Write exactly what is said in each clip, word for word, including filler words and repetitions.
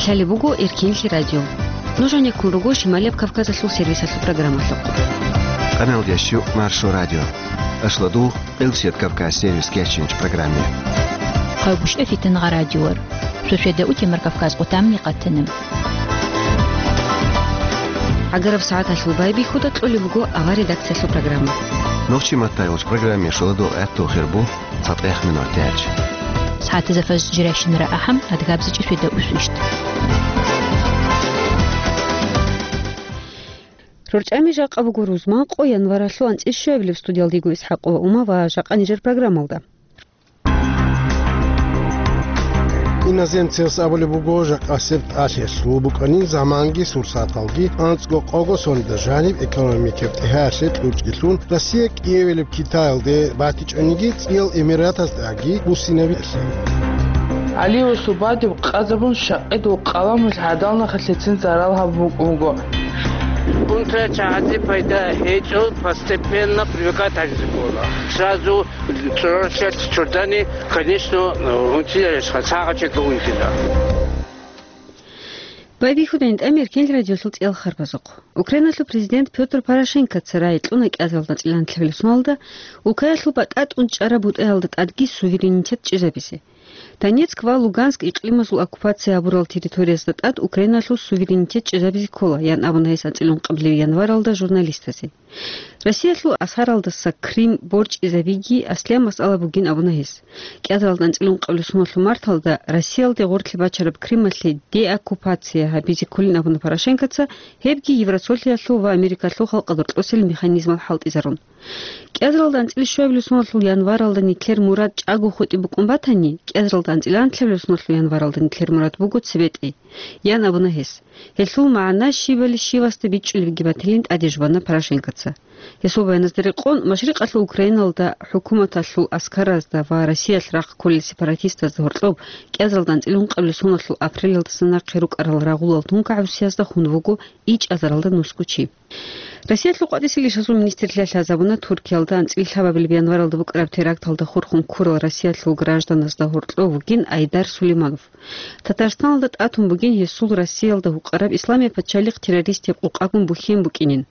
Лъалеб буго Эркенлъи радио. Нуж гьанеккун руго Шималияб Кавказалъул сервисалъул программалъухъ. Къаналдящу Маршо радио. Ашладу Элчет Кавказ сервис кечинч программе. Хъавбушев Фитангъа радиор. Суседа утемар Кавказ къутамни къатанам. Агараб сагӀаталъул байбихьуда кьолеб буго авар редакциялъул программа. Нохчи маттайгъуч программе шоладул гӀатту хирбу. ЦатӀехъ минут тяч. СагӀатазда фажр жиращинара ахӀам, адгабзичӀи светаусвищ. РорчӀами жакъа буго рузман къо январалъул анцӀил щуабилеб. Студиялдего ИсхӀакъова Ума ва жакъа нижер программалда. Иноземцевс абулеб буго, жакъасеб тӀалъиялъул букӀанин заманги сурсаталги анцӀго къого соналда жаниб экономикаб тӀегьаялъе кьучӀгилъун Россия кӀиевилеб Китаялде батичӀониги, ЦӀиял Эмиратаздаги буссинабилъи. ГӀалиусул бадиб къазабун шакъидул къаламулъ гӀадал нахалъецин зарал гьабун буго. Унтра чагӀазе пайда гьечӀо, постепенно привыкать гьаризе ккола. Сразу цӀоролъиялъ чордани, конечно, унтиялъ сагъачӀого унтила. Байбихьудайин тӀамир кел радиолъул цӀиял харбазухъ. Украиналъул президент Пётр Порошенкоца рагӀи кьуна кӀиазаралда анцӀила анлъабилеб соналда, Украиналъул батӀа тӀун чӀараб бутӀаялда тӀадги суверенитет чӀезабизе. Донецк ва Луганск икълимазул оккупация гьабурал территориязда тӀад Украиналъул суверенитет чӀезабизе ккола, ян абуна гьес анцӀила ункъабилеб январалда журналистазе. Россиялъул асаралдаса Крым борчӀизабиги аслияб масъала бугин абуна гьес. КӀиазаралда анцӀила ункъабилеб соналъул марталда Россиялде гъорлъе бачараб Крымалъе деоккупация гьабизе кколин абуна Порошенкоца, гьебги Евросолъиялъул ва Америкалъул халкъалда рокьосел механизмал хӀалтӀизарун. КӀиазаралда анцӀила щуабилеб соналъул январалда нилъер мурад чӀаго хутӀи букӀун батани, кӀиазаралда анцӀила анлъабилеб соналъул январалда нилъер мурад буго цебе тӀей, ян абуна гьес. Гьелъул магӀна щибали щивасда бичӀчӀулебги батилин тӀаде жубана Порошенкоца. Гьесул баяназда рекъон, Машрикъалъул Украиналда хӀукуматалъул аскаразда ва Россиялъ рахъ кколел сепаратистазда гьоркьоб кӀиазаралда анцӀила ункъабилеб соналъул апрелалдаса нахъе рукӀарал рагъулал тункагӀабусиязда хун вуго ичӀазаралда нусго чи. Россиялъул къватӀисел ишазул министрлъи лъазабуна Туркиялда анцӀила лъабабилеб январалда букӀараб теракталда хурхун ккурал Россиялъул гражданазда гьоркьов вугин Айдар Сулейманов. Татарстаналда тӀатун бугин гьесул Россиялда гьукъараб Исламияб пачалихъ террористияб къукъагун бухьен букӀинин.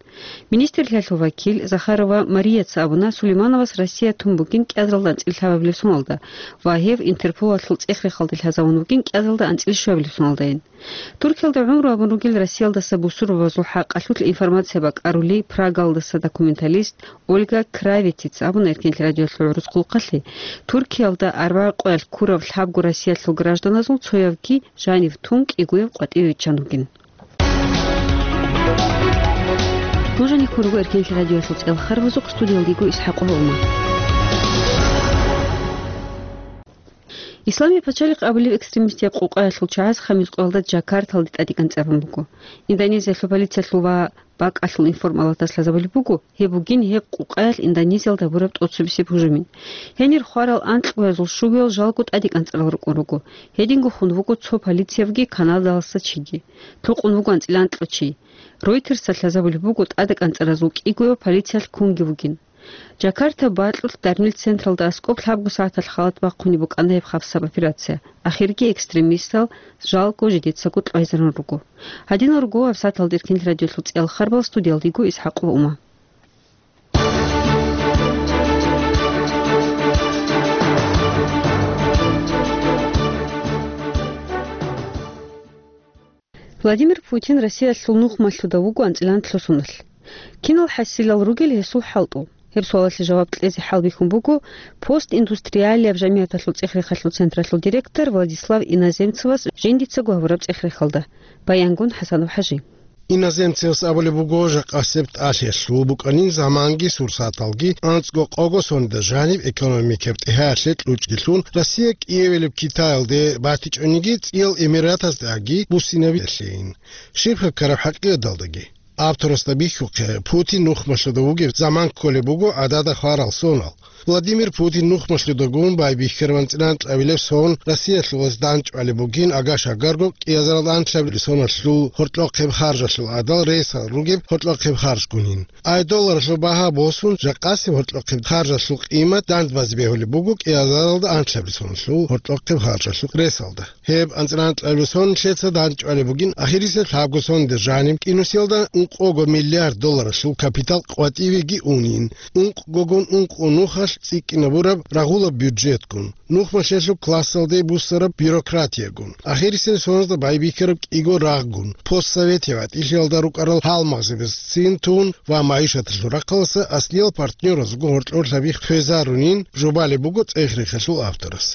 Министрлъиялъул вакил Захарова Марияца абуна, Сулеймановас Россия тун бугин кӀиазаралда анцӀила лъабабилеб соналда ва гьев Интерполалъул цӀех-рехалде лъазавун вугин кӀиазаралда анцӀила щуабилеб соналдайин. Туркиялда гӀумру гьабун ругел Россиялдаса бусурбабазул хӀакъалъулъ информация бакӀарули Прагалдаса документалист Ольга Кравитица абуна Эркенлъи радиолъул гӀурус хъулухъалъе, Туркиялда арбагӀи къоялъ ккурав лъабго Россиялъул гражданазул цоявги жанив тун кӀигояб къватӀиве виччан вугин. Нуж гьанихъун руго Эркенлъи радиоялъул цӀел харбазухъ, студиялдего ИсхӀакъова Ума. Исламияб пачалихъ абулеб экстремистияб къукъаялъул чагӀаз хамис къоялда Джакарталде тӀадекӀанцӀарун буго. Индонезиялъул полициялъул ва бакӀалъул информалатас лъазабулеб буго, гьеб бугин гьеб къукъаялъ Индонезиялда гьабураб тӀоцебесеб гьужумин. Гьенир хварал анкьгоязул щугоял жалго тӀадекӀанцӀарал рукӀун руго. Гьединго хун вуго цо полициябги Канадаласа чиги. Лъукъун вуго анцӀила анкьго чи. Ройтерсда лъазабулеб буго тӀадекӀанцӀаразул кӀигояв полициялъ кунги вугин. Джакарта бакьулъ дарнил централда аскӀоб лъабго сагӀаталъ халат бахъунеб букӀана гьеб хабсаб операция. Ахирги экстремистал жалго жидецаго кьвайзарун руго. Гьадинал руго гьабсагӀаталда Эркенлъи радиолъул цӀел харбал, студиялдего ИсхӀакъова Ума. Владимир Путин Россиялъул нухмалъуда вуго анцӀила анлъго соналъ. Кинал хӀасилал ругел гьесул хӀалтӀу? Гьеб суалалъе жаваб кьезе хӀалбихьун буго постиндустриалияб жамигӀаталъул цӀех-рехалъул централъул директор Владислав Иноземцевас жиндицаго гьабураб цӀех-рехалда. Баянгун ХӀасанов ХӀажи. Иноземцевс абулеб буго, жакъасеб тӀалъиялъул букӀанин заманги сурсаталги анцӀго къого соналда жаниб экономикаб тӀегьаялъе кьучӀгилъун Россия кӀиевилеб Китаялде батичӀониги, ЦӀиял Эмиратаздаги буссинабилъейин. Щиб гьеб ккараб хӀакъикъаталдаги? Авторасда бихьухъе, Путин нухмалъуда вугев заман кколеб буго гӀадада хварал сонал. Владимир Путин нухмалъудагун байбихьараб анцӀила анкьабилеб сон Россиялъулас данчӀвалеб бугин, агаш-агарго кӀиазарал анлъабилеб соналъул гьоркьохъеб харжалъул гӀадал ресал ругеб гьоркьохъеб харжгунин. Ай долларалъул багьа босун, жакъасеб гьоркьохъеб харжалъул къимат дандбазе бегьулеб буго кӀиазаралда анлъабилеб соналъул гьоркьохъеб харжалъул ресалда. Гьеб анцӀила анкьабилеб сон нилъеца данчӀвалеб бугин, ахирисеб лъабго соналда жаниб кӀинусиялда ункъого миллиард долларалъул капитал къватӀивеги унин, ункъгогун ункъо нухалъ цӀикӀкӀинабураб рагъулаб бюджетгун, нухмалъиялъул классалде буссараб бюрократиягун, ахирисеб соназда байбихьараб кӀиго рагъгун, постсоветияб гӀатӀилъиялда рукӀарал гьалмагъзабазецин тун ва магӀишаталъул рахъалъа аслиял партнёразулго гьоркьорлъаби хвезарунин, жубалеб буго цӀех-рехалъул авторас.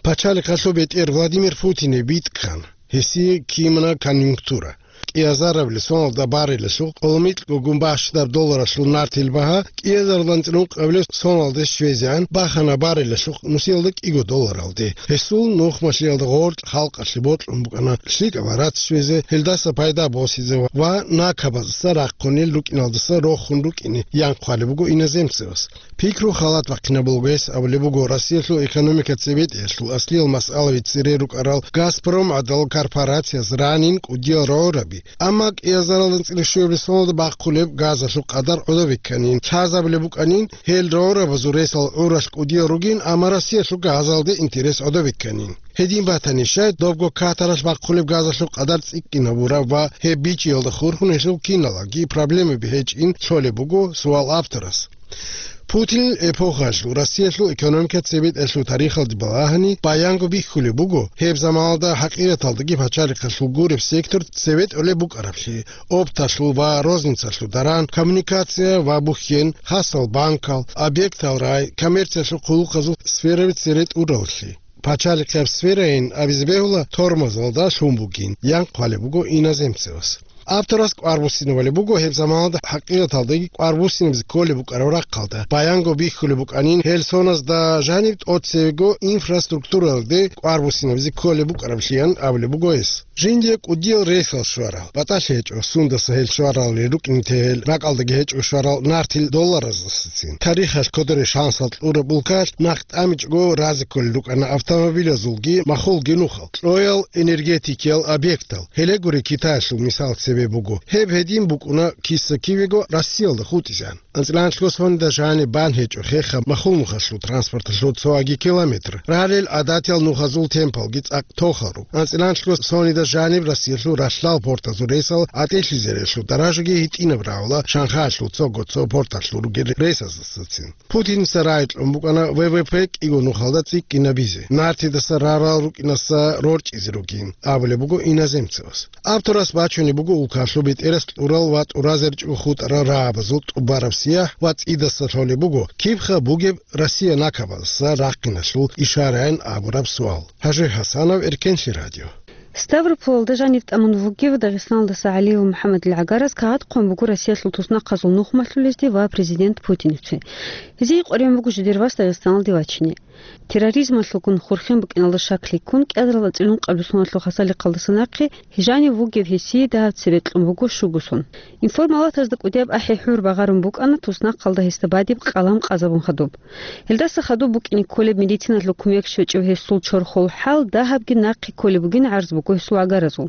Пачалихъалъул бетӀер Владимир Путине битӀкӀана, гьесие кимана конъюнктура. КӀиазарабилеб соналда барелалъул къоло микьгогун бащдаб долларалъул нартил багьа кӀиазаралда анцӀила ункъабилеб соналде щвезегӀан бахана барелалъул нусиялда кӀиго долларалде. Гьесул нухмалъиялда гъоркь халкъалъе бокьун букӀана лъикӀаб гӀарац щвезе, гьелдаса пайда босизе ва накабаздаса рахъунел рукӀиналдаса рохун рукӀине, ян хъвалеб буго иноземцевас. Пикру халат бахъинаб буго гьес абулеб буго Россиялъул экономика цебетӀеялъул аслиял масъалаби цере рукӀарал «Газпром» гӀадал корпорацияс ранин кӀудиял рогӀораби. Амма кӀиазаралда анцӀила щуабилеб соналда бахъулеб газалъул къадар гӀодобе кканин, лъазабулеб букӀанин, гьел рогӀорабазул ресал гӀуралъ кӀудиял ругин, амма Россиялъул газалде интерес гӀодобе кканин. Гьедин батани, щай добго Катаралъ бахъулеб газалъул къадар цӀикӀкӀинабураб ва гьеб бичӀчӀиялда хурхун гьелъул киналги проблемаби гьечӀин лъолеб буго суал авторас. Путинил эпохаялъул Россиялъул экономика цебетӀеялъул тарихалде балагьани, баянго бихьулеб буго, гьеб заманалда хӀакъикъаталдаги пачалихъалъул гуреб сектор цебетӀулеб букӀараблъи: опталъул ва розницалъул даран, коммуникация ва бухьен, хасал банкал, объектал рай, коммерциялъул хъулухъазул сфераби цере тӀураллъи. Пачалихъияб сферайин абизе бегьула тормозалда лъун бугин, ян хъвалеб буго иноземцевас. Авторас кӀвар буссинабулеб буго гьеб заманалда хӀакъикъаталдаги кӀвар буссинабизе кколеб букӀараб рахъалда. Баянго бихьулеб букӀанин, гьел соназда жаниб тӀоцебего инфраструктуралде кӀвар буссинабизе кколеб букӀараблъи, ян абулеб буго гьес. Жиндие кӀудиял ресал щварал, батӀалъи гьечӀо, сундаса гьел щваралел рукӀине те гьел ракӀалдаги гьечӀо щварал нартил доллараздасацин. Тарихалъ кодоре шансал кьураб улкалъ нахъ тӀамичӀого разе кколел рукӀана автомобилазулги махулги нухал, кьоял энергетикиял объектал. Гьеле гури, Китаялъул мисал цебе буго. Гьеб гьедин букӀуна киса-кивего Россиялда хутӀизегӀан. АнцӀила анлъго соналда жаниб бан гьечӀо хехаб махул нухалъул транспорталъул цо аги километр. Ралел гӀадатиял нухазул темпалги цӀакъ тохал руго. АнцӀила анлъго соналда жаниб Россиялъул ралъдал портазул ресал гӀатӀилъизарелъул даражаги гьитӀинаб рагӀула Шанхаялъул цого-цо порталъул ругел ресаздасацин. Путиница рагӀи кьун букӀана В В П кӀиго нухалда цӀикӀкӀинабизе, нартидаса рарал рукӀинаса рорчӀизе ругин, абулеб буго иноземцевас. Авторас бачунеб буго улкалъул бетӀерас кьурал ва тӀуразаричӀого хутӀарал рагӀабазул тӀубараб сияхӀ ва цӀидаса лъолеб буго кибха бугеб Россия накабаздаса рахъиналъул ишарайин абураб суал. Гьажи Гьасанов, Эркенлъи радио. Ставрополалда жанив тӀамун вугев Дагъистаналдаса ГӀалиев МухӀаммадил гӀагараз кагъат хъван буго Россиялъул туснахъазул нухмалъулезде ва президент Путиневце. Гьезие къваригӀун буго жидер вас Дагъистаналде вачине. Терроризмалъулгун хурхен букӀиналда шаклъи ккун, кӀиазарал анцӀила ункъабилеб соналъул хасалихъалдаса нахъе жанив вугев гьесие дагьаб цебе кьун буго щуго сон. Информалатазда кӀудияб ахӀи-хӀур багъарун букӀана туснахъалда гьесда бадиб къалам къазабун хадуб. Гьелдаса хадуб букӀине кколеб медициналъул кумек щвечӀеб гьесул чорхол хӀал дагьабги нахъе кколеб бугин гӀарз буго гьесул гӀагаразул.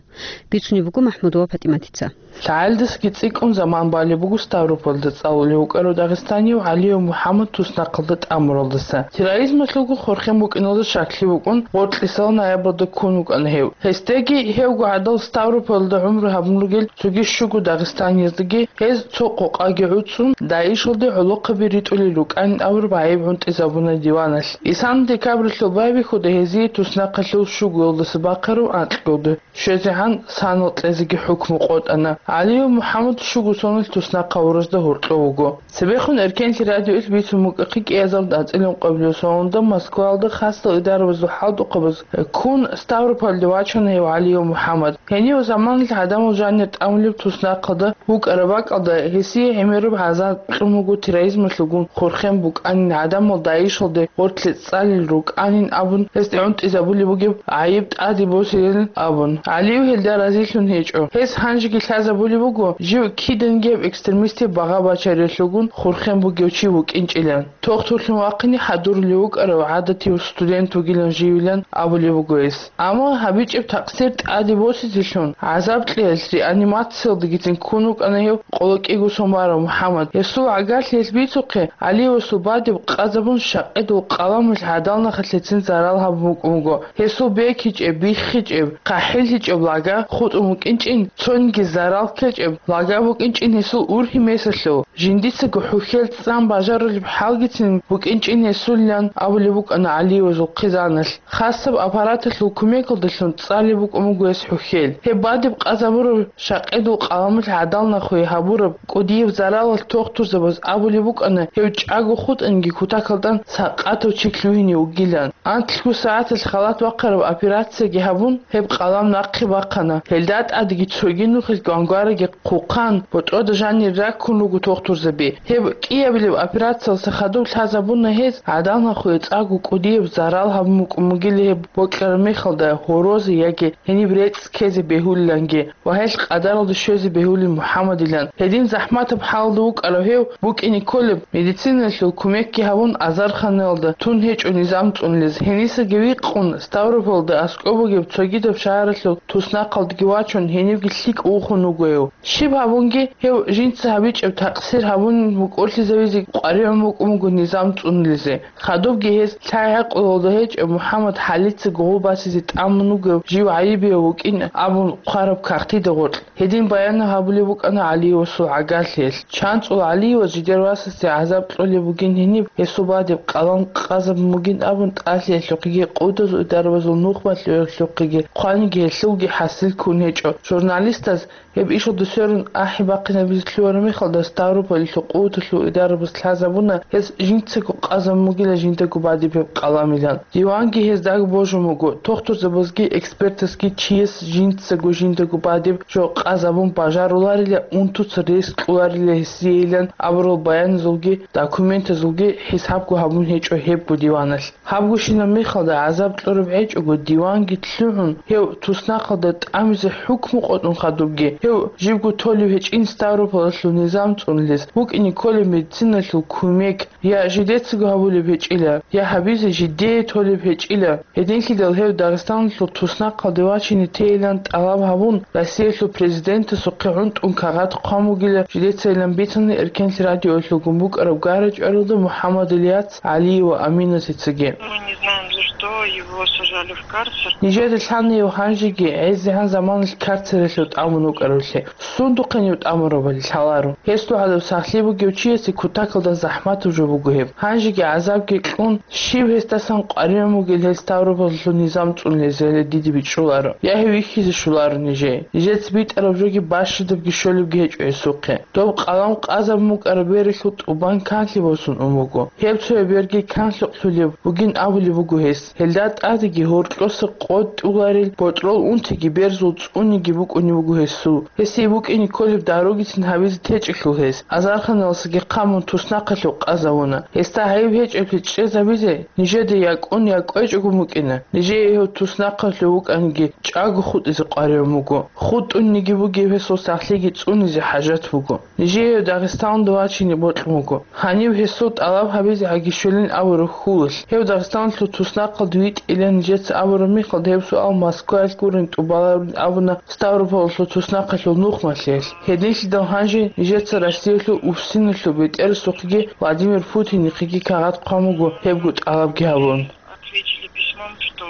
Бицунеб буго МахӀмудова ПатӀиматица. ЛъагӀалдасаги цӀикӀкӀун заман балеб буго Ставропольда цӀалулев вукӀарав дагъистаниев ГӀалиев МухӀаммад туснахъалда тӀамуралдаса. Терроризмалъулго хурхен букӀиналда шаклъи букӀун, гъоркьисал ноябрьалда ккун вукӀана гьев. Гьесдаги гьевго гӀадал Ставропольда гӀумру гьабун ругел цоги щуго дагъистанияздаги гьез цо къокъаги гӀуцӀун, ДАИШалде гӀолохъаби ритӀулел рукӀанин абураб гӀайиб гӀунтӀизабуна диваналъ. Исана декабралъул байбихьуда гьезие туснахъалъул щугоялдаса бахъараб анкьгоялда щвезегӀан санал кьезеги хӀукму къотӀана. ГӀалиев МухӀаммад щуго соналъ туснахъ гьавуразда гьоркьов вуго. Цебехун Эркенлъи радиоялъ бицун букӀахъе кӀиазаралда анцӀила ункъабилеб соналда Москваялда хасал идарабазул хӀалтӀухъабаз ккун Ставропольде вачана гьев ГӀалиев МухӀаммад. Гьенив заманалъ гӀадамал жанир тӀамулеб туснахъалда вукӀараб бакӀалда гьесие гӀемераб гӀазаб кьун буго терроризмалъулгун хурхен букӀанин, гӀадамал ДАИШалде гъорлъе цӀалел рукӀанин абун гьесде гӀунтӀизабулеб бугеб гӀайиб тӀаде босилин абун, ГӀалиев гьелда разилъун гьечӀо. Гьес гьанжеги лъазабулеб буго, жив кидангияб экстремистияб багъа-бачариялъулгун хурхен бугев чи вукӀинчӀилан. Тохтурлъун вахъине хӀадурулев вукӀарав гӀадатияв студент вугилан живилан абулеб буго гьес. Амма гьабичӀеб такъсир тӀаде босизелъун, гӀазаб кьеялъ реанимациялдагицин ккун вукӀана гьев къоло кӀиго сон барав МухӀаммад. Гьесул гӀагарлъиялъ бицухъе, ГӀалиевасул бадиб къазабун, шакъидул къаламалъ гӀадал нахалъецин зарал гьабун букӀун буго. Гьесул бекичӀеб, биххичӀеб, хъахӀиллъичӀеб лага хутӀун букӀинчӀин, цониги зарал ккечӀеб лага букӀинчӀин гьесул ургьи-месалъул, жиндицаго хӀухьел цӀан бажарулеб хӀалгицин букӀинчӀин гьесулилан абулеб букӀана ГӀалиевазул хъизаналъ. Хасаб аппараталъул кумекалдалъун цӀалеб букӀун буго гьес хӀухьел. Гьеб бадиб къазабураб шакъидул къаламалъ гӀадал нахуе гьабураб кӀудияб заралалъ тохтурзабаз абулеб букӀана, гьев чӀаго хутӀанги кутакалда сакъатав чи лъугьине вугилан. Анлъго сагӀаталъ халат бахъараб операцияги гьабун, гьеб къалам нахъе бахъана. Гьелда тӀадеги цоги нухалъ гвангвараги хъухъан, ботӀрода жанир раккун руго тохтурзаби. Гьеб кӀиабилеб операциялъа хадуб лъазабуна гьез гӀадал нахуе цӀакъго кӀудияб зарал гьабун букӀун бугила гьеб бокьараб мехалда гьорозе яги гьениб рецӀ ккезе бегьулиланги ва гьелъ къадаралда щвезе бегьулин МухӀаммадилан. Гьедин захӀматаб хӀалда вукӀарав гьев букӀине кколеб, медициналъул кумекги гьабун, азарханалда тун гьечӀо низам цӀунулез. Гьенисаги викъун, Ставрополда аскӀоб бугеб цогидаб шагьаралъул туснахъалдеги вачун, гьенивги лъикӀ вухун вуго гьев. Щиб гьабунги, гьев жинца гьабичӀеб такъсир гьабун букӀорлъизавизе къваригӀун букӀун буго низам цӀунулезе. Хадубги гьес лъай-гӀакъулалда гьечӀеб МухӀаммад хӀалицаго гъов басизе тӀамун вугев жив гӀайибияв вукӀин абун хъвараб кагътида гъоркь. Гьедин баян гьабулеб букӀана ГӀалиевасул гӀагарлъиялъ. ЧанцӀул ГӀалиевас жидер васасде гӀазаб кьолеб бугин гьениб, гьесул бадиб къалам къазабун бугин абун, тӀалъиялъухъеги, къудазул идарабазул нухмалъиялъухъеги хъваниги гьелъулги хӀасил ккун гьечӀо. Журналистаз гьеб ишалда сверун ахӀи-бахъинабизе лъугьараб мехалда, Ставрополалъул къуваталъул идарабаз лъазабуна, гьес жинцаго къазабун бугила жиндаго бадиб гьеб къаламилан. Диванги гьездаго божун буго, тохтурзабазги экспертазги чияс жинцаго жиндаго бадиб жо къазабун бажаруларила, унтуца рес кьоларила гьесиейилан абурал баяназулги документазулги хӀисабго гьабун гьечӀо гьебго диваналъ. Гьабгощинаб мехалда гӀазаб кьураб гӀечӀого диванги лъугӀун, гьев туснахъалда тӀамизе хӀукму къотӀун хадубги, гьев жибго толеб гьечӀин Ставрополалъул низам цӀунулез, букӀине кколеб медициналъул кумек, я жидецаго гьабулеб гьечӀила, я гьабизе жидее толеб гьечӀила. Гьединлъидал гьев Дагъистаналъул туснахъалде вачине тейилан тӀалаб гьабун, Россиялъул президентасухъе гӀунтӀун кагъат хъван бугила жидецайилан бицана Эркенлъи радиоялъулгун букӀараб гара-чӀваралда МухӀаммад Ильяц ГӀалиева Аминатицаги. Мы не знаем, за что его сажали в карцер. Нижеда лъана гьев гьанжеги гӀезегӀан заманалъ карцералъув тӀамун вукӀарулъе. Сундухъе гьев тӀамурабали лъаларо. Гьесул гӀадаб сахлъи бугев чиясе кутакалда захӀматаб жо буго гьеб. Гьанжеги гӀазабги кьун, щиб гьесдасан къваригӀун бугел гьел Ставрополалъул низам цӀунулезеле диде бичӀчӀуларо, я гьев вихьизе щоларо нижее. Нижеца битӀараб жоги бащадабги щолебги гьечӀо гьесухъе. Доб къалам къазабун букӀараб бералъул тӀубан канлъи босун ун буго. Гьеб цояб берги канлъукълъулеб бугин абулеб буго гьес. Гьелда тӀадеги гьоркьоса къотӀуларел ботӀрол унтиги берзул цӀуниги букӀунеб буго гьесул. Гьесие букӀине кколеб даругицин гьабизе течӀелъул гьес, азарханалдасаги хъамун, туснахъалъув къазавуна. Гьесда гьайиб гьечӀеблъи чӀезабизе нижеда якӀун я кӀвечӀого букӀина. Нижее гьев туснахъалъув вукӀаниги чӀаго хутӀизе къваригӀун буго. ХутӀунниги бугеб гьесул сахлъиги цӀунизе хӀажат буго. Нижее гьев Дагъистаналда вачине бокьун буго. Гьанив гьесул тӀалаб гьабизе гьаги щолин абураб хьулалъ, гьев Дагъистаналъул туснахъалда витӀила нижеца абураб мехалда, гьеб суал Москваялъ гурин тӀубаларин абуна Ставрополалъул туснахъалъул нухмалъиялъ. Гьединлъидал гьанже нижеца Россиялъул УФСИНалъул бетӀерасухъеги Владимир Путинихъеги кагъат хъван буго гьебго тӀалабги гьабун. Ответили письмом, что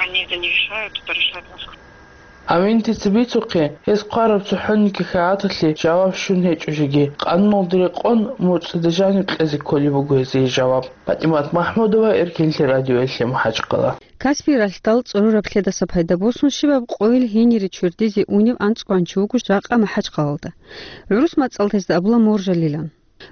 они это не решают, это решает Москва. Аминатица бицухъе, гьес хъвараб цохӀониги кагъаталъе жаваб щун гьечӀо жеги, къануналда рекъон муцӀида жаниб кьезе кколеб буго гьезие жаваб. ПатӀимат Махмудова, Эркенлъи радиоялъе, МахӀачхъала. Каспий ралъдал цӀорораб лъедаса пайда босун щибаб къойил гьенире чордизе унев анцӀгоянчи вуго жакъа МахӀачхъалалда. ГӀурус мацӀалда гьезда абула моржалилан.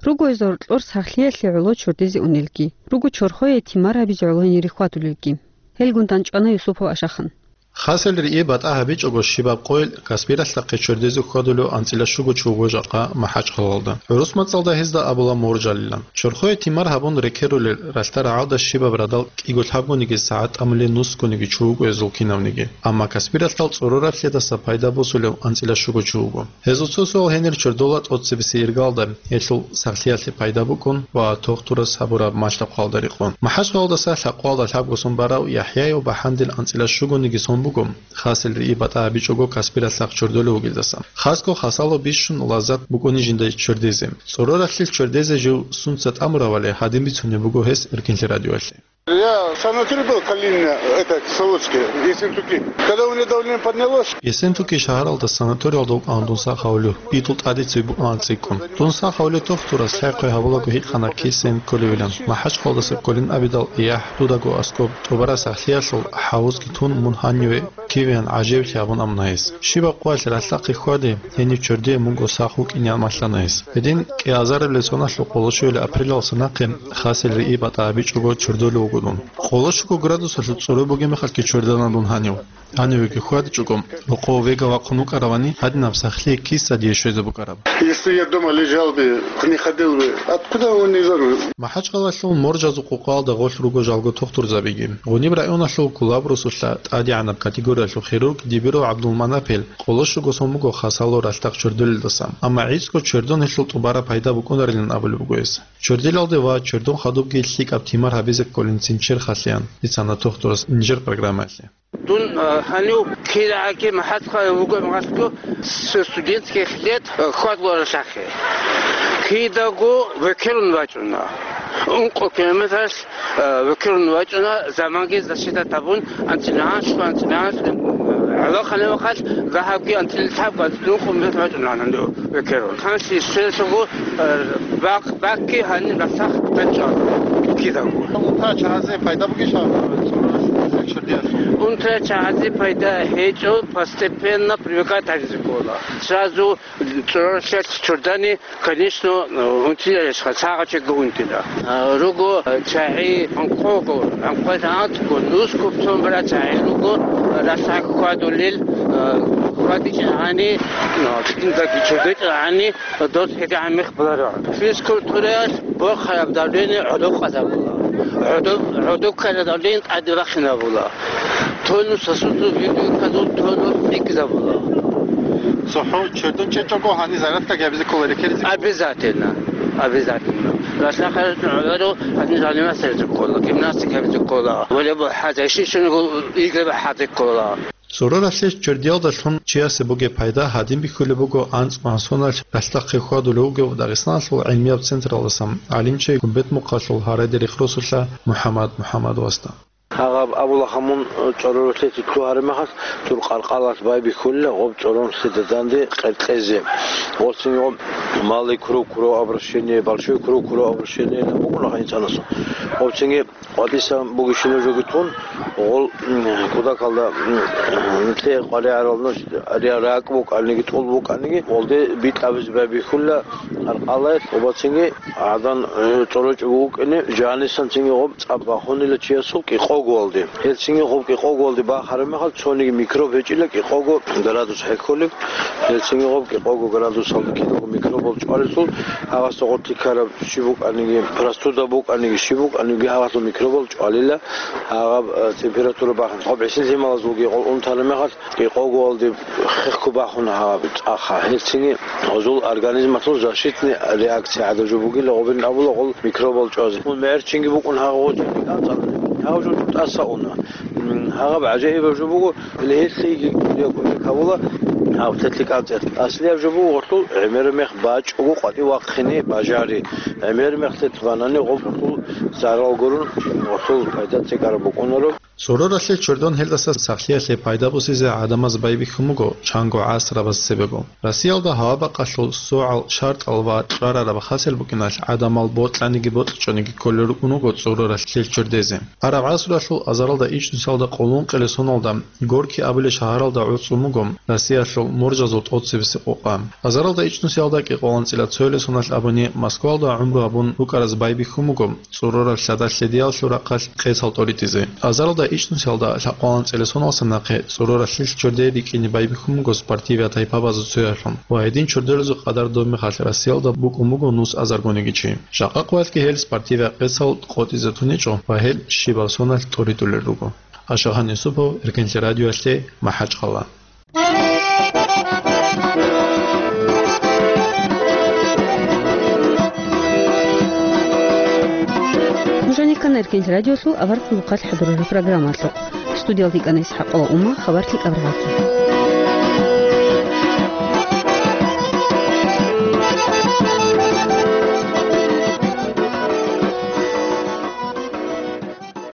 Руго гьезда гьоркьор сахлъиялъе гӀоло чордизе унелги. Руго чорхое тимар гьабизе гӀоло гьенире хьвадулелги. Гьелгун дандчӀвана Юсупов Ашахан. Хасел рии батӀа гьабичӀого щибаб къойил Каспиралъахъе чордезе хьвадулев анцӀила щуго чи вуго жакъа МахӀачхъалалда. ГӀурус мацӀалда гьезда абула моржалилан. Чорхое тимар гьабун рекерулел ралъда рагӀалда щибаб радал кӀиго лъабгониги сагӀат тӀамулел нусгониги чи вуго гьезул кинавниги. Амма Каспиралъал цӀороралъедаса пайда босулев анцӀила щуго чи вуго. Гьезул цо суал гьенир чордола тӀоцебесеб иргалда, гьелъул сахлъиялъе пайда букӀун ва тохтурас гьабураб малъа-хъвалда рекъон. МахӀачхъалалдаса лъакъвалда лъабго сон барав ЯхӀяяв бахӀандил анцӀила щугониги сон буго, хасел рии батӀа гьабичӀого Каспиралъахъ чордолев вугелдаса. Хасго хасало бищун лаззат букӀуни жинда чордезе. ЦӀороралъе чордезе жив сунца тӀамуравали гьадин бицунеб буго гьес Эркинлъи радиоялъе. Я в санатории был, Калинина, это, Кисловодске, Ессентуки. Когда у меня давление поднялось, Ессентуки шагьаралда санаториялда вукӀана дун сах гьавулев, идул тӀаде цебе букӀана цӀикӀкӀун. Дун сах гьавулев тохтурас лъай-хъвай гьабулаго гьикъана кисен кколевилан. МахӀачхъалдаса кколин абидал, яхӀ, дудаго аскӀоб тӀубараб сахлъиялъул хӀавузги тун мун гьаниве кивеян гӀажаиблъи гьабун амуна гьес. Щибаб къоялъ ралъдахъе хьваде, гьенив чордие мунго сах вукӀинеян малъана гьес. Гьедин кӀиазарабилеб соналъул къоло щуялъ апрелалса нахъе хасел рии батӀа гьабичӀого чордолев вуго дун. Къоло щуго градусалъул цӀорой бугеб мехалъги чордана дун гьанив. Гьанивеги хьвадичӀого, рокъов вега вахъун вукӀаравани, гьадинаб сахлъи киса дие щвезе букӀараб? Если я дома лежал бы, не ходил бы, откуда он не взорву? МахӀачхъалалъул моржазул къукъалда гъолъ руго жалго тохтурзабиги. Гъуниб районалъул Кулаб росулъа тӀадегӀанаб категориялъул хирург Дибиров ГӀабдулманапил къоло щуго сон буго хасало ралъдахъ чордолелдаса. Амма гӀицӀго чордон гьелъул тӀубараб пайда букӀунарилан абулеб буго гьес. Чордилалде ва чордон хадубги лъикӀаб тимар гьабизе кколин цин черхалъеян, бицана тохтурас инжир программаялъе. Дун, а, гьанив кирагӀаги МахӀачхъалалъ вугеб мехалъго с студентских лет, а, хьвадула ралъдахъе. Кидаго векерун вачӀуна. Ункъо километралъ, а, векерун вачӀуна, заманги защита гьабун, анцӀила анлъго, анцӀила анлъго, гӀолохъанаб мехалъ, дагьабги анцӀила лъабго, анцӀила ункъо метр вачӀуна гьанив векерун. Ханлъи щвелъого, а, бакъ-бакъги гьаниб ралъдахъ бачӀа кидаго. Унтра чагӀазе пайда бугищ гьаб цӀороралъе чордиялъул? Унтра чагӀазе пайда гьечӀо, постепенно привыкать гьабизе ккола. Сразу цӀороралъе чордани, конечно, унтиялищха, сагъачиго унтила. А, руго чагӀи анкъого, анкъоялда анцӀго, нусго цон бара чагӀи руго, ралъдахъ хьвадулел, а, хьвадичӀогӀани, а, киндаги чордичӀогӀани, дос гьедигӀан мех баларо. Физкультураялъ борхараб давление гӀодокъазабула. ГӀодоб-, гӀодокъараб давление тӀаде бахинабула. Тонус сосудул, витаминазул тонус цӀикӀкӀизабула. ЦохӀо чордон чӀечӀого гьаниб зарядка гьабизе ккола рекеризего? Обязательно. Обязательно. Ралъдахъе гӀоларо гьаниб заниматься гьабизе ккола, гимнастика гьабизе ккола, волейбол хӀазе, щиб-щиб игры хӀазе ккола. ЦӀороралъе чордиялдалъун чиясе бугеб пайда гьадин бихьулеб буго анцӀго гьансоналъ ралъдахъе хьвадулев вугев Дагъистаналъул гӀилмияб централдаса гӀалимчи Гумбетмухъалъул гьарайда рехсолъа МухӀаммад МухӀаммадовасда. Гьаб абула гьаб мун, цӀороралъе лъугьараб мехалъ, дур къаркъалалъ байбихьула гъоб цӀороралъе данде къеркьезе. Гъоцин гъоб малый круг, кругообращение, большой круг, кругообращение букӀуна гьанив цӀанасул. Гъоцинги къватӀиса бугищинаб жоги тун, гъол, м, кутакалда, м, лъе къваригӀарал нуш, риа ракӀ букӀаниги, тӀул букӀаниги, гъолде битӀабизе байбихьула къаркъалаялъ, гъобацинги гӀадан, э, цӀорочӀого вукӀине, жанисанцинги гъоб цӀаб бахунила чиясул кӀикъогоялде. Гьелцинги гъоб кӀикъогоялде бахараб мехалъ, цониги микроб гьечӀила кӀикъого градус хӀехьолеб. Гьелцинги гъоб кӀикъого градусалда кидаго микробал чӀвалелъул, гьагъасда гъоркье ккараб щиб букӀаниги, простуда букӀаниги, щиб букӀаниги, гьагъалъул микробал чӀвалила, гьагъаб, э, температура бахъин. Гъоб гӀисин лъималазулги гъол унтараб мехалъ кӀикъогоялде хехго бахуна гьаб цӀаха. Гьелцинги гъозул организмалъул защитный реакция гӀадаб жо бугила, гъобин абула гъол микробал чӀвазе. Мун мегӀерчинги букӀун гьагъо гъочӀи, гьагъаб жо тӀаса уна. М, гьагъаб гӀажаибаб жо буго, Гьеле гьелъиги кӀудияб кӀудияб кавула гьав тетлъи кӀанцӀиялъ. Аслияб жо буго гъорлъул гӀемераб мех бачӀого къватӀив вахъине бажари. ГӀемераб мех тетлъ банани гъоб гъорлъул зарал гурун, гъорлъул пайда цӀикӀкӀараб букӀунаро. ЦӀороралъе чордон гьелдаса сахлъиялъе пайда босизе гӀадамаз байбихьун буго чанго гӀасрабаз цебего. Россиялда гьава-бакъалъул согӀал, шартӀал ва кьварараб хасел букӀиналъ гӀадамал бокьаниги бокьичӀониги кколел рукӀун руго цӀороралъе чордезе. Араб гӀасруялъул азаралда ичӀнусиялда къоло ункъоялда соналда Горький абулеб шагьаралда гӀуцӀун буго Россиялъул моржазул тӀоцебесеб къокъа. Азаралда ичӀнусиялда кӀикъоялда анцӀила цоялда соналъ абуни Москвалда гӀумру гьабун рукӀараз байбихьун буго цӀурураб лъадалъ лъедиялъул рахъалъ къецал тӀоритӀизе. Азаралда ичӀнусиялда лъабкъоялда анцӀила соналдаса нахъе цӀуруралъул чордее рикӀкӀине байбихьун буго спортивияб тайпабазул цояблъун ва гьедин чордолазул къадар доб мехалъ Россиялда букӀун буго нус азаргониги чи. Жакъа къоялъги гьел спортивияб къецал къотӀизе туничӀо ва гьел щибаб соналъ тӀоритӀулел руго. Ашагъан Юсупов, Эркенлъи радиоялъе, МахӀачхъала. Нуж гьанир ккана Эркенлъи радиолъул аварагасул хъалихъ хӀадурараб программалъухъ. Студиялда йикӀана ИсхӀакъова Ума, хабар лъикӀаб рагӀаги.